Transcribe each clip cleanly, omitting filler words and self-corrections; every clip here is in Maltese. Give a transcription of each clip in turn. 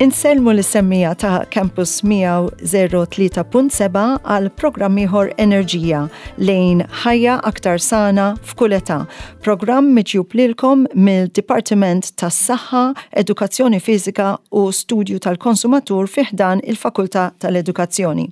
Insellmu l-semmija ta' Campus 103.7 għal programm ieħor Enerġija lejn ħajja aktar sana f'kull età. Programm miġjub lilkom mill-Dipartiment tas-Saħħa, Edukazzjoni Fiżika u Studju tal-Konsumatur fi ħdan il-Fakultà tal-Edukazzjoni.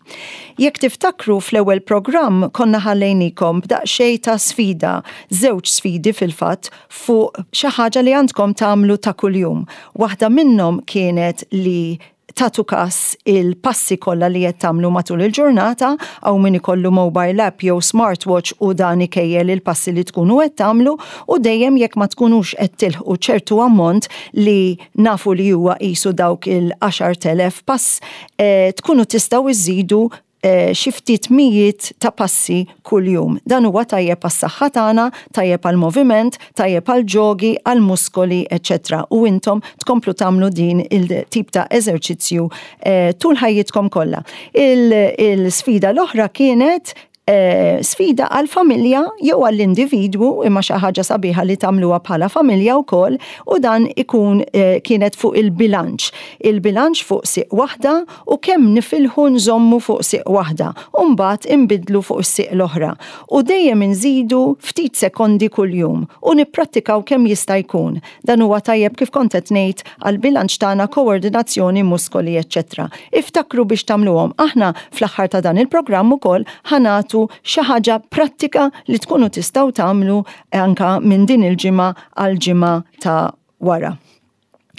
Jekk tiftakru fl-ewwel programm konna ħallejnikom b'daqsxejn ta' sfida, żewġ sfidi fil-fatt, fuq xi ħaġa li għandkom tagħmlu ta' kuljum. Waħda minnhom kienet li tagħtu kas il-passi kollha li qed tagħmlu matul il-ġurnata, hawn min ikollu mobile app jew smartwatch u dan ikejjel il-passi li tkunu qed tagħmlu u dejjem jekk ma tkunux qed tilħqu ċertu ammont li nafu li huwa qisu dawk il-10,000 pass, eh, tkunu tistgħu iżidu Eh, xi ftit mijiet ta' passi kuljum. Dan huwa tajjeb għas-saħħa tagħna, tajjeb għall-moviment, tajjeb għall-ġogi, għall-muskoli, eċċetera. U intom tkomplu tagħmlu din il-tip ta' eżerċizzju eh, tul ħajjitkom kollha. Il-sfida l-oħra kienet eh, sfida għal-familja jew għall-individwu imma xi ħaġa sabiħa li tagħmluha bħala familja wkoll u dan ikun eh, kienet fuq il-bilanċ. Il-bilanċ fuq siq waħda u kemm nifilħu nżommu fuq sieq waħda u mbagħad inbiddlu fuq is-sieq l-oħra. U dejjem inżidu ftit sekondi kuljum u nipprattikaw kemm jista' jkun. Dan huwa tajjeb kif kont qed ngħid għall-bilanċ tagħna, koordinazzjoni, muskoli eċċetera. Iftakru biex tagħmluhom. Aħna fl-aħħar ta' dan il-programm ukoll ħa nagħtu xi ħaġa prattika li tkunu tistgħu tagħmlu anke minn din il-ġimgħa għall-ġimgħa ta' wara.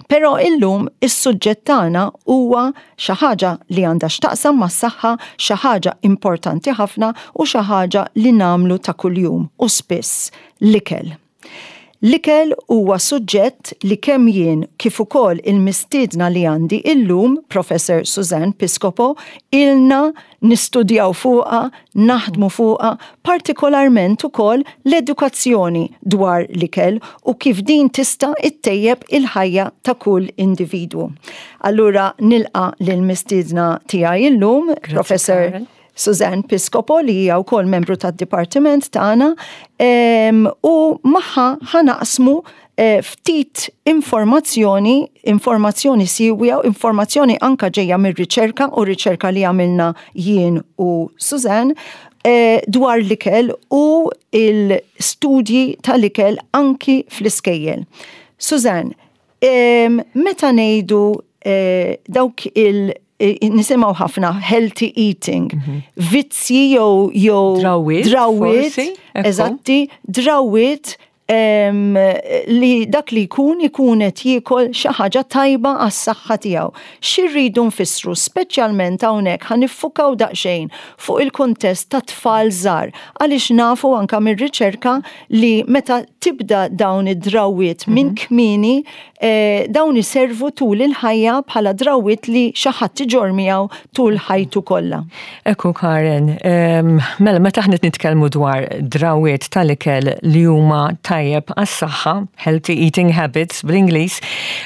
Però illum is-suġġett tagħna huwa xi ħaġa li għandha x'taqsam mas-saħħa, xi ħaġa importanti ħafna u xi ħaġa li nagħmlu ta' kuljum u spiss, l-ikel. L-ikel huwa suġġett li kemm jien kif ukoll il-mistiedna li għandi illum, Professor Suzanne Piscopo, ilna nistudjaw fuqha, naħdmu fuqha, partikolarment ukoll l-edukazzjoni dwar l-ikel u kif din tista' ittejjeb il-ħajja ta' kull individwu. Allura nilqa' lill-mistiedna tiegħi illum, Professor Suzanne Piscopo li hija wkoll membru tad-dipartiment tagħna u magħha ħa naqsmu eh, ftit informazzjoni, informazzjoni siwja, informazzjoni anka ġejja mir-riċerka u riċerka li għamilna jien u Suzanne eh, dwar l-ikel u il-studji tal-ikel anki fl-iskejjel. Suzanne, meta ngħidu eh, dawk il- nisimgħu ħafna healthy eating, mhm. vizzji jew jew drawwiet, drawwiet, eżatti, drawwiet li dak li jkun ikun qed jiekol xi ħaġa tajba għas-saħħa tiegħu. Xi rridu nfissru speċjalment hawnhekk ħa niffukaw daqsxejn fuq il-kuntest ta' tfal żgħar għaliex nafu anke mir-riċerka li meta tibda dawn id-drawwiet minn mhm. kmieni eh, dawn iservu tul il-ħajja bħala drawwiet li xi ħadd iġorr miegħu tul ħajtu kollha. Ekku Karen, mela meta aħna nitkellmu dwar drawwiet tal-ikel li huma tajjeb għas-saħħa, healthy eating habits bl-Ingliż,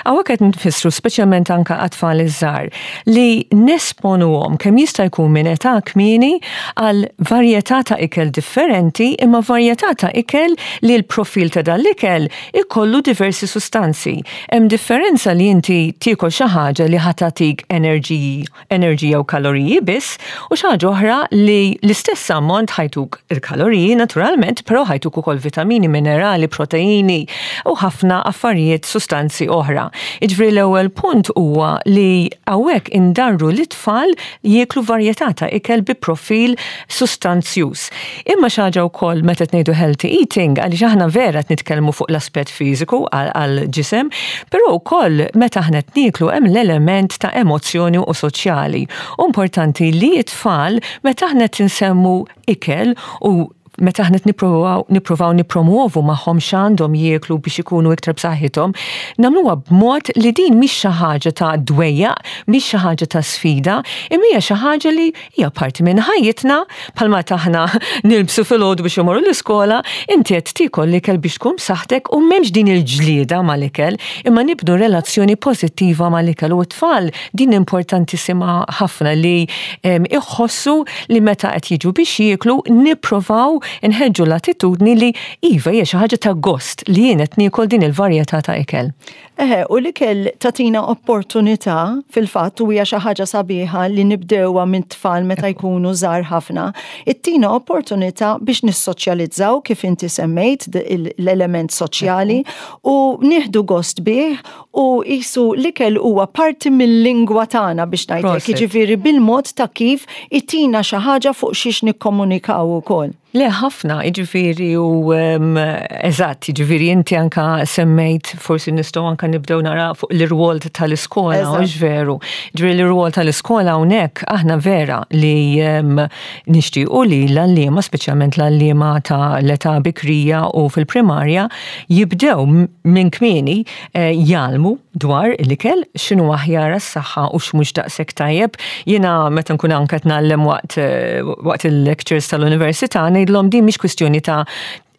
hawnhekk qed nfissru speċjalment anke għat-tfal iż-żgħar li nesponuhom kemm jista' jkun minn età kmieni għal varjetà ta' ikel differenti imma varjetà ta' ikel li l-profil ta' dan l-ikel ikollu diversi sustanzi. Hemm differenza li inti tiekol xi ħaġa li ħa tagħtik enerġiji, enerġija u kaloriji biss, u xi ħaġa oħra li l-istess ammont ħajtuk il-kaloriji naturalment, però ħajtuk ukoll vitamini, minerali, proteini u ħafna affarijiet sustanzi oħra. Jiġifieri l-ewwel punt huwa li hawnhekk indarru lit-tfal jieklu varjetà ta' ikel bi profil sustanzjuż. Imma xi ħaġa wkoll meta qed ngħidu healthy eating, għaliex aħna vera qed nitkellmu fuq l-aspett fiżiku għall-ġisem, però wkoll meta aħna qed nieklu hemm l-element ta' emozzjoni u soċjali. U importanti li t-tfal meta aħna qed insemmu ikel u meta aħna nippruvaw nippruvaw nippromuovu magħhom x'għandhom jieklu biex ikunu iktar b'saħħithom, nagħmluha b'mod li din mhix xi ħaġa ta' dwejjaq, mhix xi ħaġa ta' sfida, imma hija xi ħaġa li hija parti minn ħajjitna, bħalma aħna nilbsu filgħodu biex imorru l-iskola, inti qed tiekol l-ikel biex tkun b'saħħtek u m'hemmx din il-ġlieda mal-ikel, imma nibnu relazzjoni pożittiva mal-ikel u t-tfal din importantissima ħafna li iħossu li meta qed jiġu biex jieklu nipprovaw inħeġġu l-attitudni li iva hija xi ħaġa ta' gost li jien qed niekol din il-varjetà ta' ikel. Eħe, u l-ikel tagħtina opportunità fil-fatt u hija xi ħaġa sabiħa li nibdewha minn tfal meta jkunu żgħar ħafna, ittina opportunità biex nissoċjalizzaw kif inti semmejt l-element soċjali u nieħdu gost bih u qisu l-ikel huwa parti mill-lingwa tagħna biex ngħidlek, jiġifieri bil-mod ta' kif itina xi ħaġa fuq xiex nikkomunikaw ukoll. Le ħafna, jiġifieri u eżatt, jiġifieri inti anka semmejt forsi nistgħu anka nibdew nara fuq l-irwol tal-iskola, hux veru. Ġifieri l-irwol tal-iskola hawnhekk aħna vera li nixtiequ li l-għalliema, speċjalment l-għalliema ta' l-età bikrija u fil-primarja, jibdew minn kmieni eh, jgħallmu dwar l-ikel, x'inhu aħjar għas-saħħa u x'mhux daqshekk tajjeb. Jiena meta nkun anke qed ngħallem waqt eh, waqt il-lectures tal-università ngħidlhom din mhix kwistjoni ta'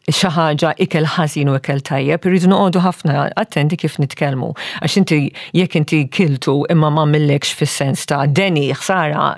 xi ħaġa ikel ħażin u ikel tajjeb, irridu noqogħdu ħafna attenti kif nitkellmu. Għax inti jekk inti kiltu imma ma millekx fis-sens ta' deni, ħsara,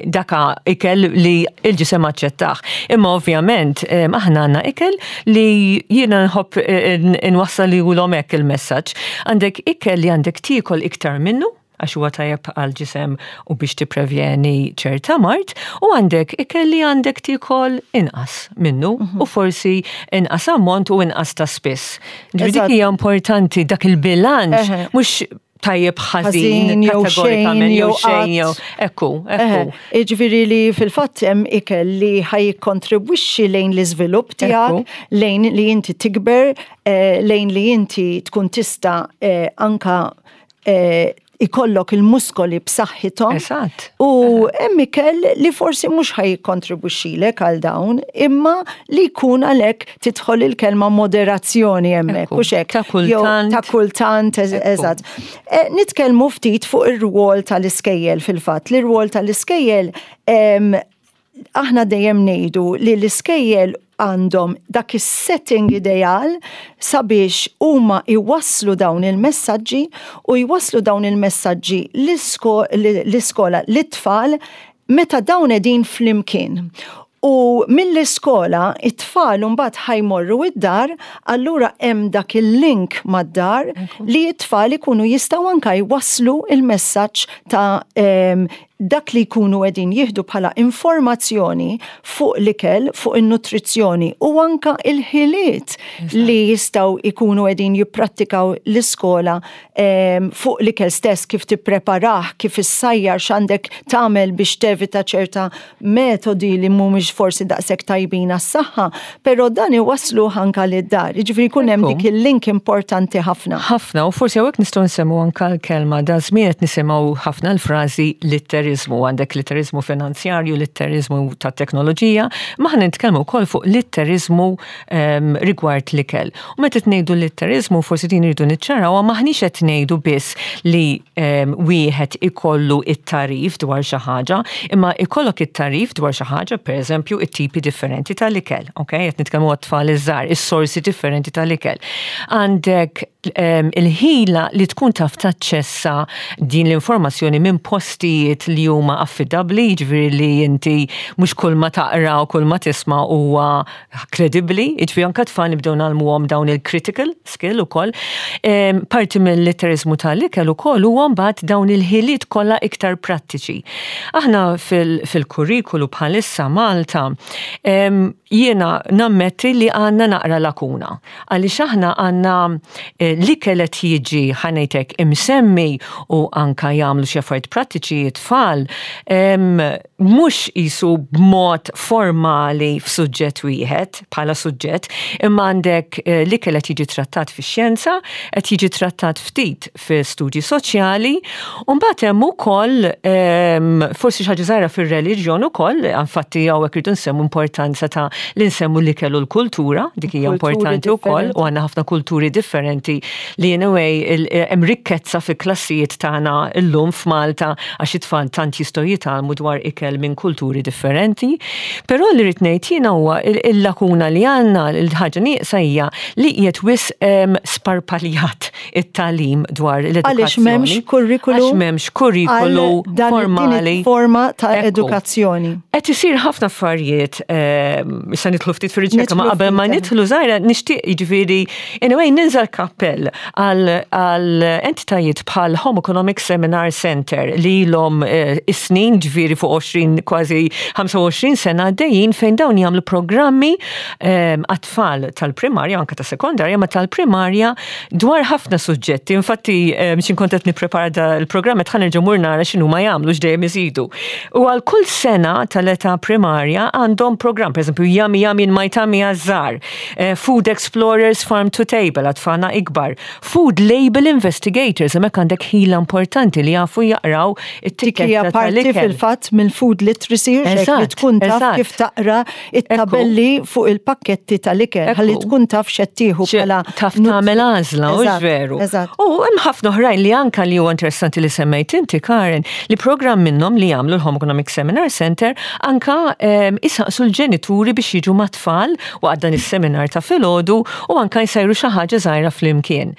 daka ikel li il-ġisem aċċettah. Imma ovvjament eh, aħna għandna ikel li jiena nħobb eh, inwassal li ulhom hekk il-messaġġ. Għandek ikel li għandek tiekol iktar minnu, għax huwa tajjeb għal ġisem u biex tipprevjeni ċerta mard, u għandek ikel li għandek tiekol inqas minnu mhm. u forsi inqas ammont u inqas ta' spiss. Ġifieri dik hija importanti dak il-bilanċ mhux tajjeb ħażin jew xejn jew xejn jew ekku, ekku. Jiġifieri li fil-fatt hemm ikel li ħaj jikkontribwixxi lejn l-iżvilupp tiegħek, lejn li inti tikber, eh, lejn li inti tkun tista' eh, anka eh, ikollok il-muskoli b'saħħithom. Eżatt. U hemm ikel li forsi mhux ħaj jikkontribwixxilek għal dawn, imma li jkun għalhekk tidħol il-kelma moderazzjoni hemmhekk, hux hekk. Ta' kultant. Ta' kultant, eżatt. E, nitkellmu ftit fuq ir-rwol tal-iskejjel fil-fatt. L-irwol tal-iskejjel aħna dejjem ngħidu li l-iskejjel għandhom dak is-setting ideal sabiex huma jwasslu dawn il-messaġġi u jwasslu dawn il-messaġġi l-iskola lit-tfal meta dawn qegħdin flimkien. U mill-iskola it-tfal mbagħad ħa jmorru id-dar, allura hemm dak il-link mad-dar li t-tfal ikunu jistgħu anka jwasslu il-messaġġ ta' dak li jkunu qegħdin jieħdu bħala informazzjoni fuq l-ikel, fuq in-nutrizzjoni u anka il-ħiliet li jistgħu jkunu qegħdin jipprattikaw l-iskola fuq l-ikel stess, kif tippreparah, kif issajjar, x'għandek tagħmel biex tevita ċerta metodi li mhumiex forsi daqshekk tajbin għas-saħħa, però dan iwassluh anka lid-dar. Jiġifieri jkun hemm dik il-link importanti ħafna. Ħafna, u forsi hawnhekk nistgħu nsemmu anka l-kelma da żmien qed nisimgħu ħafna l-frażi litteriżmu, għandek litteriżmu finanzjarju, litteriżmu tat-teknoloġija, ma aħna nitkellmu wkoll fuq litteriżmu ehm, rigward l-ikel. U meta qed ngħidu litteriżmu forsi din irridu niċċaraw maħniex qed ngħidu biss li ehm, wieħed ikollu it-tarif dwar xi ħaġa, imma ikollok it-tarif dwar xi ħaġa, pereżempju it-tipi differenti tal-ikel, ok? Qed nitkellmu għat-tfal iż-żgħar, is-sorsi differenti tal-ikel. Għandek ehm, il-ħila li tkun taf taċċessa din l-informazzjoni minn postijiet li huma affidabbli, jiġifieri li inti mhux kull ma taqra u kull ma tisma' huwa kredibbli, jiġifieri anke tfal nibdew nagħlmuhom dawn il-critical skill ukoll. Parti mill-litteriżmu tal-ikel ukoll huwa mbagħad dawn il-ħiliet kollha iktar prattiċi. Aħna fil-kurrikulu bħalissa Malta jiena nammetti li għandna naqra lakuna. Għaliex aħna għandna eh, l-ikel qed jiġi ħa ngħid hekk imsemmi u anka jagħmlu xi affarijiet prattiċi t-tfal mhux qisu b'mod formali f'suġġett wieħed bħala suġġett, imma għandek l-ikel qed jiġi trattat fix-xjenza, qed jiġi trattat ftit fi studji soċjali, u mbagħad hemm ukoll forsi xi ħaġa żgħira fir-reliġjon ukoll, infatti hawnhekk irridu nsemmu importanza ta' li nsemmu l-ikel u l-kultura, dik hija importanti wkoll u għandna ħafna kulturi differenti li anyway hemm rikkezza fil-klassijiet tagħna llum f'Malta għax it-tfal tant jistgħu jitgħallmu dwar ikel minn kulturi differenti. Però li rrid ngħid jiena huwa il-lakuna li għandna, il-ħaġa nieqsa hija li qiegħed wisq sparpaljat it-tagħlim dwar l-edukazzjoni. Għaliex m'hemmx kurrikulu. Għax m'hemmx kurrikulu formali. Forma ta' edukazzjoni. Qed isir ħafna affarijiet, issa nidħlu ftit fir-riċerka, ma qabel ma nidħlu żgħira nixtieq jiġifieri anyway ninża l-kappell għal entitajiet bħal Home Economics Seminar Center li ilhom is-snin ġifieri fuq 20 kważi 25 sena għaddejjin fejn dawn jagħmlu programmi għat-tfal tal-primarja anke ta' sekondarja ma tal-primarja dwar ħafna suġġetti. Infatti x'in kont qed nipprepara da l-programm qed ħa nerġa' mur nara x'inhuma jagħmlu x'dejjem iżidu. U għal kull sena tal-età primarja għandhom programm, pereżempju Yummy Yummy in My Tummy għaż-żgħar, Food Explorers Farm to Table għat-tfal ikbar, Food Label Investigators, hemmhekk għandek ħila importanti li jafu jaqraw it-tikketta tal-ikel. Parti fil-fatt mill-food literacy, li tkun taf kif taqra it-tabelli fuq il-pakketti tal-ikel, ħalli tkun taf x'qed tieħu bħala. Taf tagħmel għażla, u veru. U hemm ħafna oħrajn li anka li huwa interessanti li semmejt inti, Karen, li programm minnhom li jagħmlu l-Home Economic Seminar Center anka isaqsu l-ġenituri biex jiġu mat-tfal waqt dan is-seminar ta' filgħodu u anka jsajru xi ħaġa żgħira flimkien.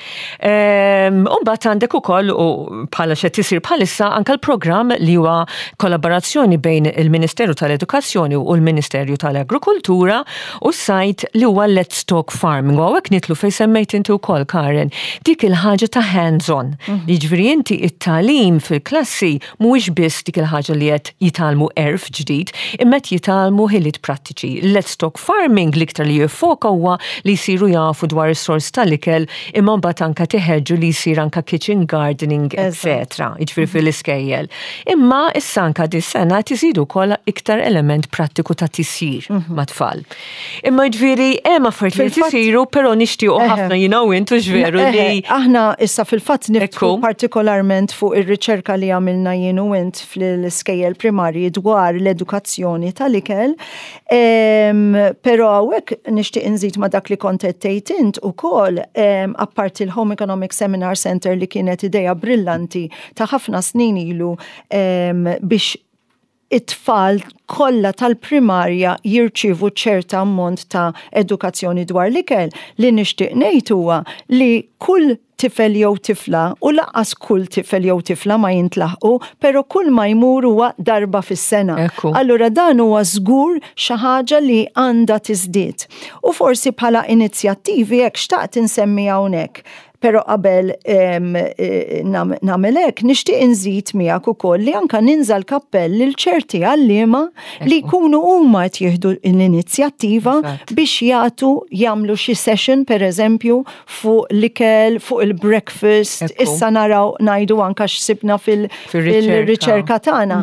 U mbagħad għandek ukoll u bħala x'qed isir bħalissa anka l-programm li huwa kollaborazzjoni bejn il-Ministeru tal-Edukazzjoni u l-Ministerju tal-Agrikultura u s-Sajd li huwa Let's Talk Farming. U hawnhekk nidħlu fejn semmejt inti wkoll Karen, dik il-ħaġa ta' hands-on. Jiġifieri inti it-tagħlim fil-klassi mhuwiex biss dik il-ħaġa li qed jitgħallmu għerf ġdid, imma qed jitgħallmu ħiliet prattiċi. Let's Talk Farming l-iktar li jiffoka huwa li jsiru jafu dwar is-sors tal-ikel imma mbagħad anke tiħeġġu li jsir anke kitchen gardening, etc. Jiġifieri fil-iskejjel. Imma issa anke dis-sena qed iżidu wkoll iktar element prattiku ta' tisjir mat-tfal. Imma ġifieri hemm affarijiet li isiru, però nixtiequ ħafna jiena u int hux veru li. Aħna issa fil-fatt niftħu partikolarment fuq ir-riċerka li għamilna jien u int fl-iskejjel primarji dwar l-edukazzjoni tal-ikel. Però hawnhekk nixtieq inżid ma' dak li kont qed tgħid int ukoll apparti l-Home Economic Seminar Center li kienet idea brillanti ta' ħafna snin ilu biex it-tfal kollha tal-primarja jirċievu ċerta ammont ta' edukazzjoni dwar l-ikel, li nixtieq ngħid huwa li kull tifel jew tifla, u lanqas kull tifel jew tifla ma jintlaħqu, però kull ma jmur huwa darba fis-sena. Allura dan huwa żgur xi ħaġa li għandha tiżdied. U forsi bħala inizjattivi hekk xtaqt insemmi hawnhekk Però qabel nagħmel hekk, nixtieq inżid miegħek ukoll li anka ninża l-kappell lil ċerti għalliema li jkunu huma qed jieħdu l-inizjattiva biex jagħtu jagħmlu xi session pereżempju fuq l-ikel, fuq il-breakfast, issa naraw ngħidu anka x'sibna fil-riċerka tagħna.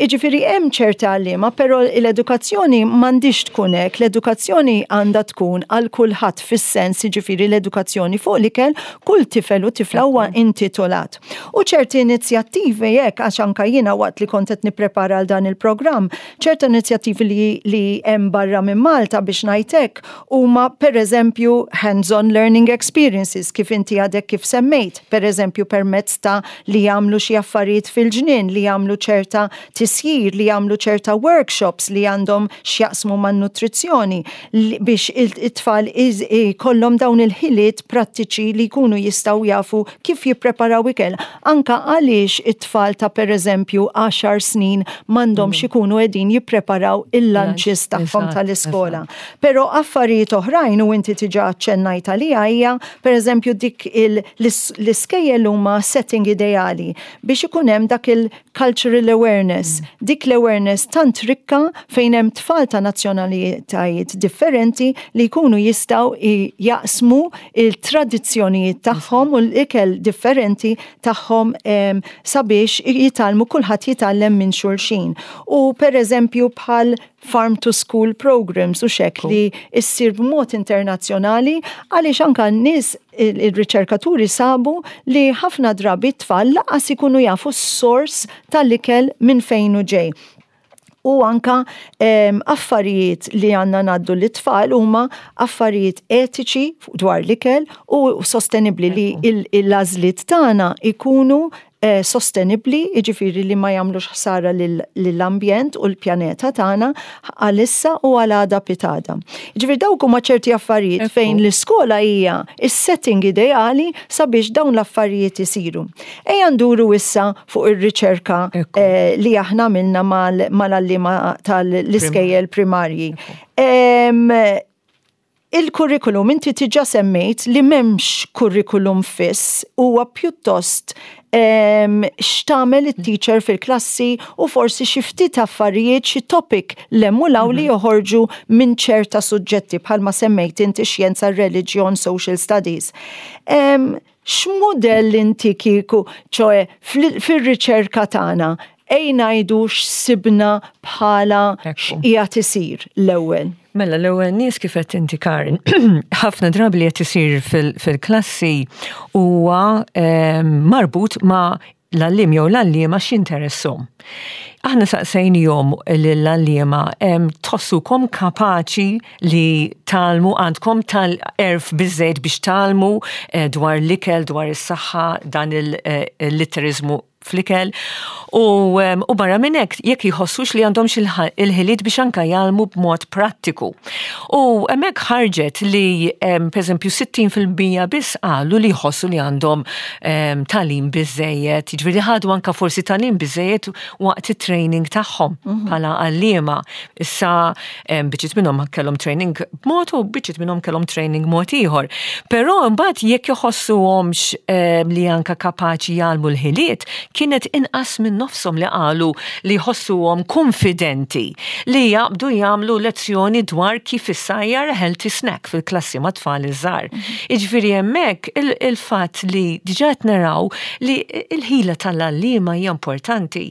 Jiġifieri hemm ċerti għalliema, però l-edukazzjoni m'għandhiex tkun hekk, l-edukazzjoni għandha tkun għal kulħadd fis-sens jiġifieri l-edukazzjoni fuq l-ikel kull tifel u tifla huwa intitolat. U ċerti inizjattivi hekk għax anke jiena waqt li kont qed nipprepara għal dan il-programm, ċerta inizjattivi li li hemm barra minn Malta biex ngħid hekk huma pereżempju hands-on learning experiences kif inti għadek kif semmejt, pereżempju permezz ta' li jagħmlu xi affarijiet fil-ġnien, li jagħmlu ċerta tisjir, li jagħmlu ċerta workshops li għandhom x'jaqsmu man-nutrizzjoni biex it-tfal ikollhom dawn il-ħiliet prattiċi li jkunu jistgħu jafu kif jippreparaw ikel. Anke għaliex it-tfal ta' pereżempju għaxar snin m'għandhomx ikunu qegħdin jippreparaw il-lunches tagħhom tal-iskola. Però affarijiet oħrajn u inti diġà aċċennajt għaliha hija pereżempju dik l-iskejjel huma setting ideali biex ikun hemm dak il-cultural awareness, dik l-awareness tant rikka fejn hemm tfal ta' nazzjonalitajiet differenti li jkunu jistgħu jaqsmu il-tradizzjonijiet. it-tradizzjonijiet tagħhom u l-ikel differenti tagħhom sabiex jitgħallmu kulħadd jitgħallem minn xulxin. U per eżempju bħal Farm to School Programs u xek li issir b'mod internazzjonali għaliex anka n-nies il-riċerkaturi sabu li ħafna drabi t-tfal lanqas ikunu jafu s-sors tal-ikel minn fejn u ġej. U anka affarijiet li għandna ngħaddu lit-tfal huma affarijiet etiċi dwar l-ikel u sostenibli li l-għażliet tagħna ikunu sostenibbli, jiġifieri li ma jagħmlux ħsara lill-ambjent u l-pjaneta tagħna għalissa u għal għada pitgħada. Jiġifieri dawk huma ċerti affarijiet fejn l-iskola hija s-setting ideali sabiex dawn l-affarijiet isiru. Ejja nduru issa fuq ir-riċerka li aħna għamilna mal-għalliema tal-iskejjel primarji. Il-kurrikulum, inti diġà semmejt li m'hemmx kurrikulum fiss, huwa pjuttost x'tagħmel it-teacher fil-klassi u forsi xi ftit affarijiet, xi topic l-hemm u li joħorġu minn ċerta suġġetti bħalma semmejt inti xjenza, reliġjon, social studies. X'modell inti kieku, ċoè fil-riċerka tagħna, ej ngħidu x'sibna bħala x'qiegħed isir l-ewwel? Mela l-ewwel nies kif qed inti Karin, ħafna drabi li qed isir fil-klassi huwa marbut ma' l-għalliem jew l-għalliema x'interesshom. Aħna saqsejnihom l-għalliema tħossukom kapaċi li tgħallmu għandkom tal-għerf biżżejjed biex tgħallmu dwar l-ikel, dwar is-saħħa, dan il-litteriżmu fl-ikel u barra minn hekk jekk jħossux li għandhomx il-ħiliet biex anka jgħallmu b'mod prattiku. U hemmhekk ħarġet li pereżempju 60% biss qalu li jħossu li għandhom tagħlim biżejjed, jiġifieri ħadu anka forsi tagħlim biżejjed waqt it-training tagħhom bħala għalliema. Issa biċċiet minnhom kellhom training b'mod u biċċiet minnhom kellhom training mod ieħor. Però mbagħad jekk jħossuhomx li anka kapaċi jgħallmu l-ħiliet, kienet inqas minn nofshom li qalu li jħossuhom konfidenti li jaqbdu jagħmlu lezzjoni dwar kif issajjar healthy snack fil-klassi ma' tfal iż-żgħar. Jiġifieri hemmhekk il-fatt li diġà qed naraw li l-ħila tal-għalliema hija importanti.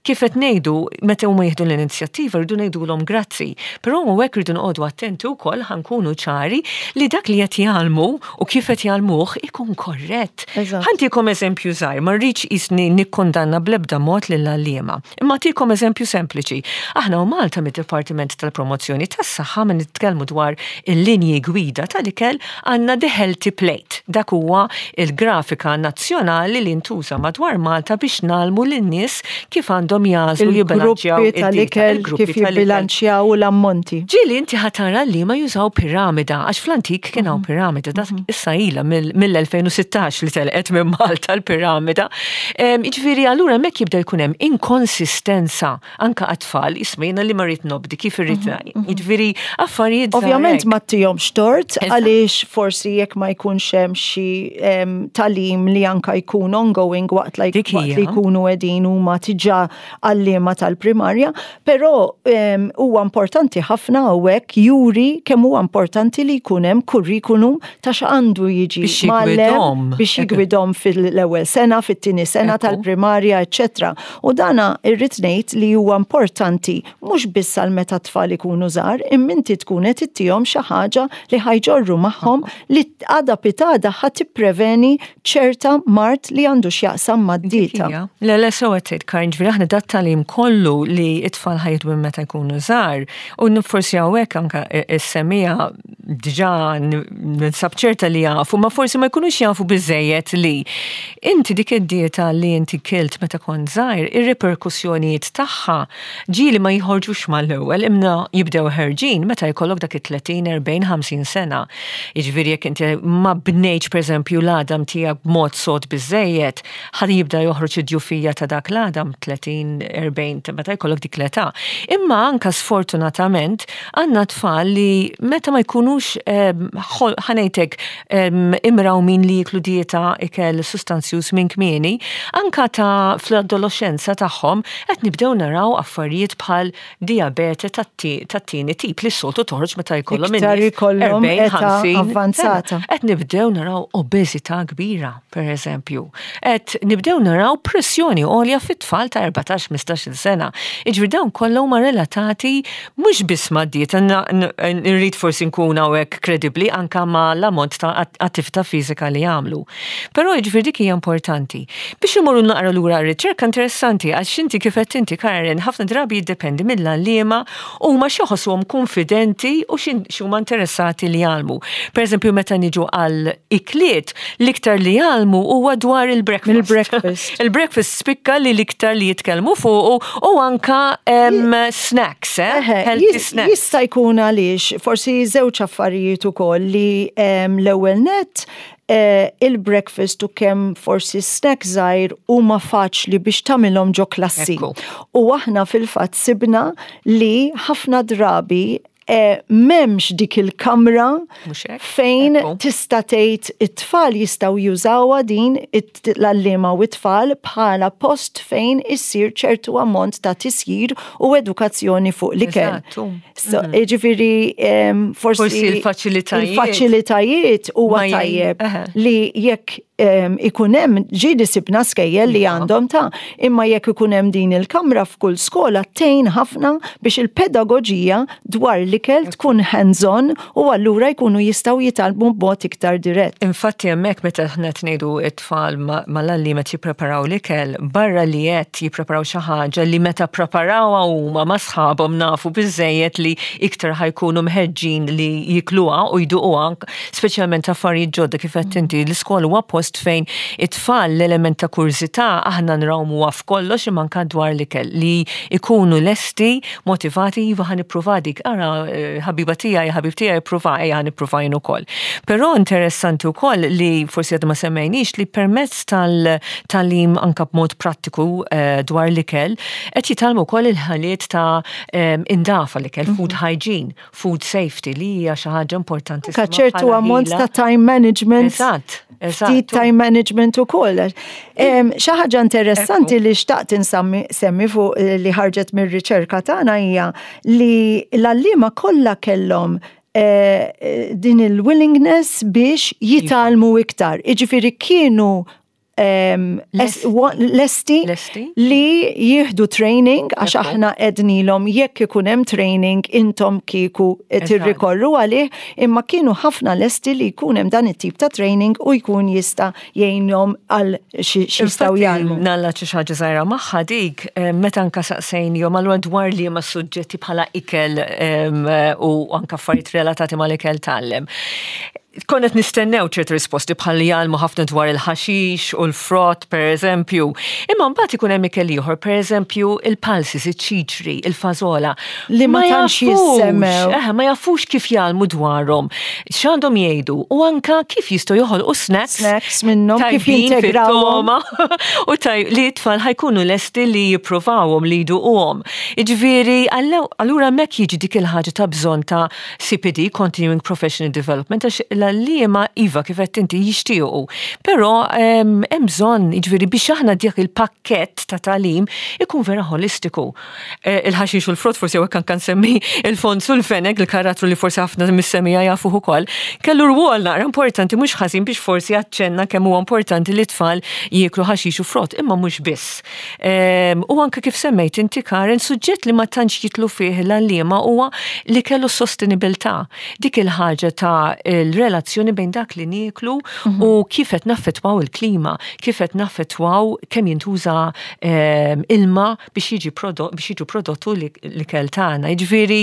Kif qed ngħidu, meta huma jieħdu l-inizjattiva rridu ngħidulhom grazzi, però hawnhekk rridu noqogħdu attenti wkoll ħa nkunu ċari li dak li qed jgħallmu u kif qed jgħallmuh ikun korrett. Ħa ntikom eżempju żgħir, ma rridx qisni nikkundanna bl-ebda mod lill-għalliema. Imma ntikom eżempju sempliċi. Aħna u Malta mid-Dipartiment tal-Promozzjoni tas-Saħħa minn nitkellmu dwar il-linji gwida tal-ikel għandna The Healthy Plate. Dak huwa il-grafika nazzjonali li ntuża madwar Malta biex ngħallmu lin-nies kif għandhom jagħżlu jibbilanċjaw tal-ikel, kif jibbilanċjaw l-ammonti. Ġieli inti ħa tara li ma jużaw piramida, għax fl-antik kien hawn piramida, dak issa ilha mill-2016 li telqet minn Malta l-piramida. Jiġifieri allura hemmhekk jibda jkun hemm inkonsistenza anka għat-tfal, isma' jiena li ma rrid nobdi kif irrid Jiġifieri affarijiet. Ovvjament ma ttihomx tort għaliex forsi jekk ma jkunx hemm xi tagħlim li anka jkun ongoing waqt li jkunu qegħdin huma diġà għalliema tal-primarja, però huwa importanti ħafna hawnhekk juri kemm huwa importanti li jkun hemm kurrikulum ta' x'għandu jiġi mgħallem biex jigwidhom fil-ewwel sena, fit-tieni sena tal-primarja, eċċetera. U dana irrid ngħid li huwa importanti mhux biss għal meta tfal ikunu żgħar, imma inti tkun qed ittihom xi ħaġa li ħa jġorru magħhom li għada pitgħada ħa tippreveni ċerta mard li għandu x'jaqsam mad-dieta. Le, le, sew qed tgħid Karin, ġifieri aħna dat-tagħlim kollu li t-tfal ħa jieħdu minn meta jkunu żgħar u forsi hawnhekk anke is-semmiegħa diġà ninsab ċerta li jafu, ma forsi ma jkunux jafu biżejjed li inti dik id-dieta li inti kilt meta kont żgħir, ir-reperkussjonijiet tagħha ġieli ma jħorġux mal-ewwel imma jibdew ħerġin meta jkollok dak it-30, 40, 50 sena. Jiġifieri jekk inti ma bnejtx pereżempju l-għadam tiegħek b'mod sod biżejjed, ħa jibda joħroġ id-djufija ta' dak l-għadam 30, 40, meta jkollok dik l-età. Imma anka sfortunatament għandna tfal li meta ma jkunux ħa ngħidlek imrawmin li jiklu dieta ikel sustanzjuż minn kmieni, anka Fl-età ta' fl-adoloxxenza tagħhom qed nibdew naraw affarijiet bħal dijabete tat-tieni tip li s-soltu toħroġ meta jkollhom Iktar ikollhom età avvanzata. Qed nibdew naraw obeżità kbira, per eżempju. Qed nibdew naraw pressjoni għolja fit-tfal ta' 14-15 sena. Jiġifieri dawn kollha huma relatati mhux biss mad-dieta, nrid forsi nkun hawnhekk kredibbli anke ma' l-ammont ta' attività fiżika li jagħmlu. Però jiġifieri dik hija importanti. Biex imorru naqra lura r-riċerka interessanti għax inti kif għedt inti Karen, ħafna drabi jiddependi mill-għalliema huma x'iħossuhom kunfidenti u x'huma interessati li jgħallmu. Pereżempju meta niġu għal ikliet, l-iktar li jgħallmu huwa dwar il-breakfast. Il-breakfast. Il-breakfast spikka li l-iktar li jitkellmu fuqu u anka snacks, eh? Healthy snacks. Jista' jkun għaliex forsi żewġ affarijiet ukoll li l-ewwel nett il-breakfast u kemm forsi snack żgħir huma faċli biex tagħmilhom ġo klassi. U aħna fil-fatt sibna li ħafna drabi m'hemmx dik il-kamra fejn tista' tgħid it-tfal jistgħu jużawha din l-għalliema u t-tfal bħala post fejn issir ċertu ammont ta' tisjir u edukazzjoni fuq l-ikel. So, Ġifieri forsi Forsi il-faċilitajiet. Il-faċilitajiet huwa tajjeb li jekk ikun hemm ġieli sibna skejjel li għandhom ta' imma jekk ikun hemm din il-kamra f'kull skola tgħin ħafna biex il-pedagoġija dwar l-ikel tkun hands-on u allura jkunu jistgħu jitgħallmu b'mod iktar dirett. Infatti hemmhekk meta aħna qed ngħidu t-tfal mal-għalliema qed jippreparaw l-ikel, barra li qed jippreparaw xi ħaġa li meta ppreparawha huma ma' sħabhom nafu biżżejjed li iktar ħa jkunu mħeġġin li jikluha u jduquha, speċjalment affarijiet ġodda kif għedt inti, l-iskola huwa post fejn it-tfal l-element ta' kurżità aħna nrawmuha f'kollox imma anke dwar l-ikel li jkunu lesti, motivati, iva ħa nippruva dik, ara ħabiba tiegħi, ħabib tiegħi ippruva, ejja ħa nippruva jien ukoll. Però interessanti wkoll li forsi għadna ma semmejniex li permezz tal-tagħlim anke b'mod prattiku dwar l-ikel qed jitgħallmu wkoll il-ħiliet ta' indafa l-ikel, food hygiene. Food safety li hija xi ħaġa importanti. Anka ċertu ammont ta' time management. Eżatt, eżatt. Ftit time management ukoll. Xi ħaġa interessanti li xtaqt insemmi semmi fuq eh, li ħarġet mir-riċerka tagħna hija li l-għalliema kollha kellhom eh, eh, din il-willingness biex jitgħallmu iktar. Iġifieri kienu lesti li jieħdu training għax aħna ednilhom jekk ikun hemm training intom kieku tirrikorru għalih imma kienu ħafna lesti li jkun hemm dan it-tip ta' training u jkun jista' jgħinhom għal xi jistgħu jgħallmu. Nalla xi ħaġa żgħira magħha dik meta anka saqsejnihom allura dwar liema suġġetti bħala ikel u anka affarijiet relatati mal-ikel tgħallem. Konna qed nistennew ċerti risposti bħal li jgħallmu ħafna dwar il-ħaxix u l-frott, per eżempju. Imma mbagħad ikun hemm ikel ieħor, per eżempju, il-pulses, iċ-ċiċri, il-fażola. Li ma tantx jissemmew. Eh, ma jafux kif jgħallmu dwarhom, x'għandhom jgħidu u anka kif jistgħu joħolqu snacks. Snacks minnhom kif jintegrawhom. U taj li t-tfal ħa jkunu lesti li jippruvawhom, li jduquhom. Jiġifieri, allura hemmhekk jiġi dik il-ħaġa ta' bżonn ta' CPD, Continuing Professional Development, għax l-għalliema iva kif għedt inti jixtiequ. Però hemm bżonn, jiġifieri biex aħna dik il-pakkett ta' tagħlim ikun vera ħolistiku. Eh, il-ħaxix u l-frott forsi hawnhekk anke nsemmi il-Fonz u l-Fenek, il-karattru li forsi ħafna mis-semija jafuh ukoll, kellu rwol naqra importanti mhux ħażin biex forsi aċċenna kemm huwa importanti li t-tfal jieklu ħaxix u frott, imma mhux biss. U anke kif semmejt inti Karen, suġġett li ma tantx jitlu fih l-għalliema huwa li kellu sostenibilità. Dik il-ħaġa ta' l-relazzjoni bejn dak li nieklu mhm. u kif qed naffettwaw il-klima, kif qed naffettwaw kemm jintuża ilma biex jiġi biex jiġu prodottu l-ikel tagħna. Jiġifieri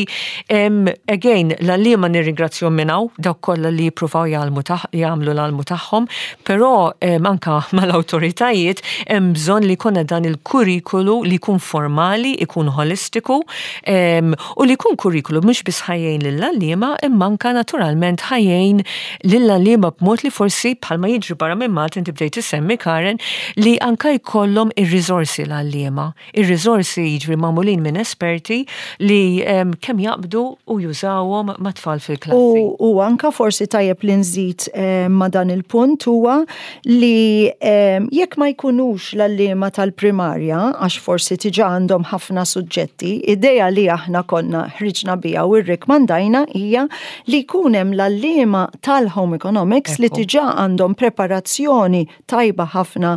again l-għalliema nirringrazzjahom minn hawn dawk kollha li jippruvaw jagħmlu l-almu tagħhom, Però anka mal-awtoritajiet hemm bżonn li jkollna dan il-kurrikulu li jkun formali, ikun ħolistiku u li jkun kurrikulu mhux biss ħa jgħin lill-għalliema imma anka naturalment ħa jgħin lill-għalliema b'mod li forsi bħalma jiġri barra minn Malta inti bdejt issemmi Karen li anka jkollhom ir-riżorsi l-għalliema. Ir-riżorsi jiġri magħmulin minn esperti li kemm jaqbdu u jużawhom mat-tfal fil-klassi. U anka forsi tajjeb li nżid ma' dan il-punt huwa li jekk ma jkunux l-għalliema tal-primarja, għax forsi tiġa għandhom ħafna suġġetti, idea li aħna konna ħriġna biha u rrikmandajna hija li jkun hemm l-għalliema tal-home economics li tiġa għandhom preparazzjoni tajba ħafna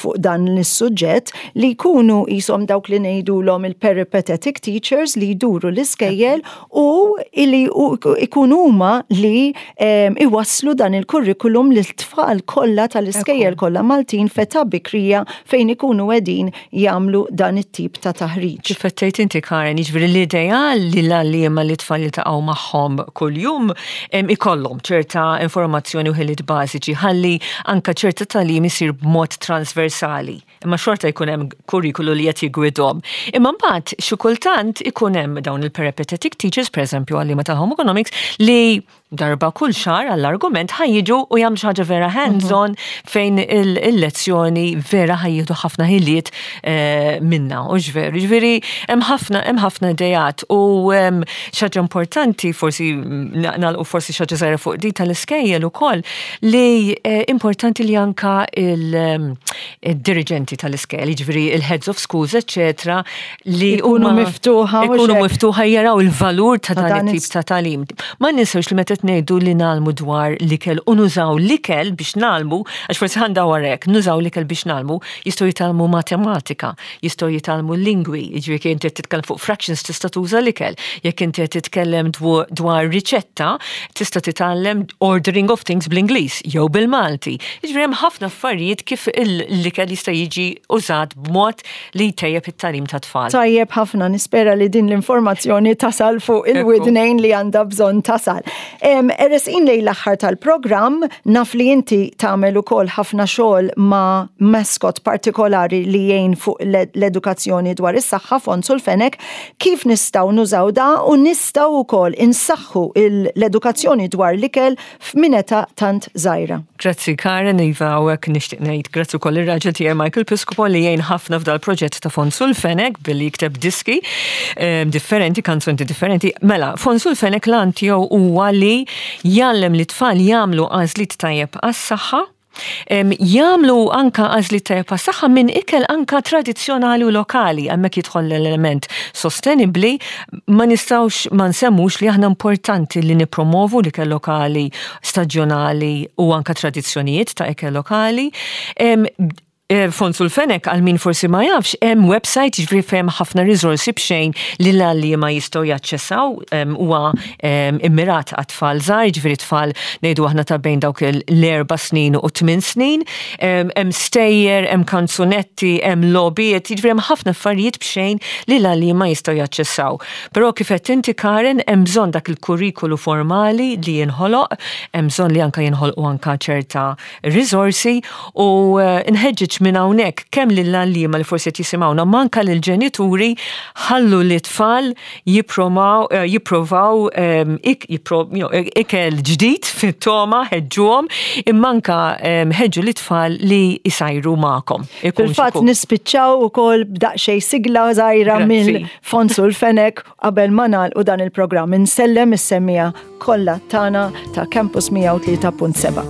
fuq dan is-suġġett li jkunu qishom dawk li ngħidulhom il-peripatetic teachers li jduru l-iskejjel u li ikunu huma li iwasslu dan il-kurrikulum lit-tfal kollha tal-iskejjel kollha Maltin f'età bikrija fejn ikunu qegħdin jagħmlu dan it-tip ta' taħriġ. Kif qed tgħid inti Karen, jiġifieri l-ideal li l-għalliema li t-tfal jiltaqgħu magħhom kuljum ikollhom ċerta informazzjoni u ħiliet bażiċi ħalli anke ċerta tagħlim isir b'mod transversali. Imma xorta jkun hemm kurrikulu li qed jiggwidhom. Imma mbagħad xi kultant ikun hemm dawn il-peripatetic teachers, pereżempju għalliema tal-home economics, li darba kull xahar għall-argument ħa jiġu u jagħmlu xi ħaġa vera hands-on fejn il-lezzjoni vera ħa jieħdu ħafna ħiliet eh, minna u ġveru. Ġifieri hemm ħafna hemm ħafna idejat u xi ħaġa importanti forsi nagħlqu forsi xi ħaġa żgħira fuq di tal-iskejjel ukoll li eh, importanti li anka il-dirigenti tal-iskejjel, jiġifieri il-heads of schools, eċċetera, li ikunu miftuħa ikunu miftuħa jaraw il-valur ta' dan it-tip ta' tagħlim. Ma ninsewx li meta ngħidu li nagħlmu dwar l-ikel u nużaw l-ikel biex nagħlmu, għax forsi ħa ndawwar hekk, nużaw l-ikel biex nagħlmu, jistgħu jitgħallmu matematika, jistgħu jitgħallmu lingwi, jiġifieri jekk inti qed titkellem fuq fractions tista' tuża l-ikel, jekk inti qed titkellem dwar riċetta, tista' titgħallem ordering of things bl-Ingliż jew bil-Malti. Jiġifieri hemm ħafna affarijiet kif l-ikel jista' jiġi użat b'mod li jtejjeb it-tagħlim tat-tfal. Tajjeb ħafna, nispera li din l-informazzjoni tasal fuq il-widnejn li għandha bżonn tasal. Eresqin lejn l-aħħar tal-programm, naf li inti tagħmel ukoll ħafna xogħol ma' mascot partikolari li jgħin fuq l-edukazzjoni dwar is-saħħa Fonzu l-Fenek, kif nistgħu nużaw da u nistgħu wkoll insaħħu l-edukazzjoni dwar l-ikel f'minn età tant żgħira. Grazzi Karen, iva hawnhekk nixtieq ngħid grazzi wkoll ir-raġel tiegħi Michael Piscopo li jgħin ħafna f'dal-proġett ta' Fonzu l-Fenek billi jikteb diski ehm, differenti, kanzunti differenti. Mela, Fonzu l-Fenek l-għan tiegħu huwa li jgħallem li tfal jagħmlu għażliet tajjeb għas-saħħa Jagħmlu anka għażliet tajjeb għas-saħħa minn ikel anka tradizzjonali u lokali, hemmhekk jidħol l-element sostenibbli, ma nistgħux ma nsemmux li aħna importanti li nippromovu l-ikel lokali, staġjonali u anka tradizzjonijiet ta' ikel lokali. Eh, Fonzu l-Fenek għal min forsi ma jafx, hemm website jiġifieri fejn ħafna riżorsi b'xejn li l-għalliema jistgħu jaċċessaw huwa immirat għat-tfal żgħar, jiġifieri tfal ngħidu aħna ta' bejn dawk l-erba' snin u tmien snin. Hemm stejjer, hemm kanzunetti, hemm logħbiet, jiġifieri hemm ħafna affarijiet b'xejn li l-għalliema jistgħu jaċċessaw. Però kif għedt inti Karen, hemm bżonn dak il-kurrikulu formali li jinħoloq, hemm bżonn li anke jinħolqu anke ċerta riżorsi u nħeġġeġ minn hawnhekk kemm lill-għalliema li forsi qed jisimgħuna ma anke lill-ġenituri ħallu lit-tfal jippromaw jipprovaw ikel ġdid fit-togħma ħeġġuhom imma anke ħeġġu lit-tfal li jsajru magħkom. Fil-fatt nispiċċaw ukoll b'daqsxejn sigla żgħira minn Fonzu l-Fenek Qabel ma nagħlqu dan il-programm insellem is-semmiegħa kollha tagħna ta' Campus 103.7.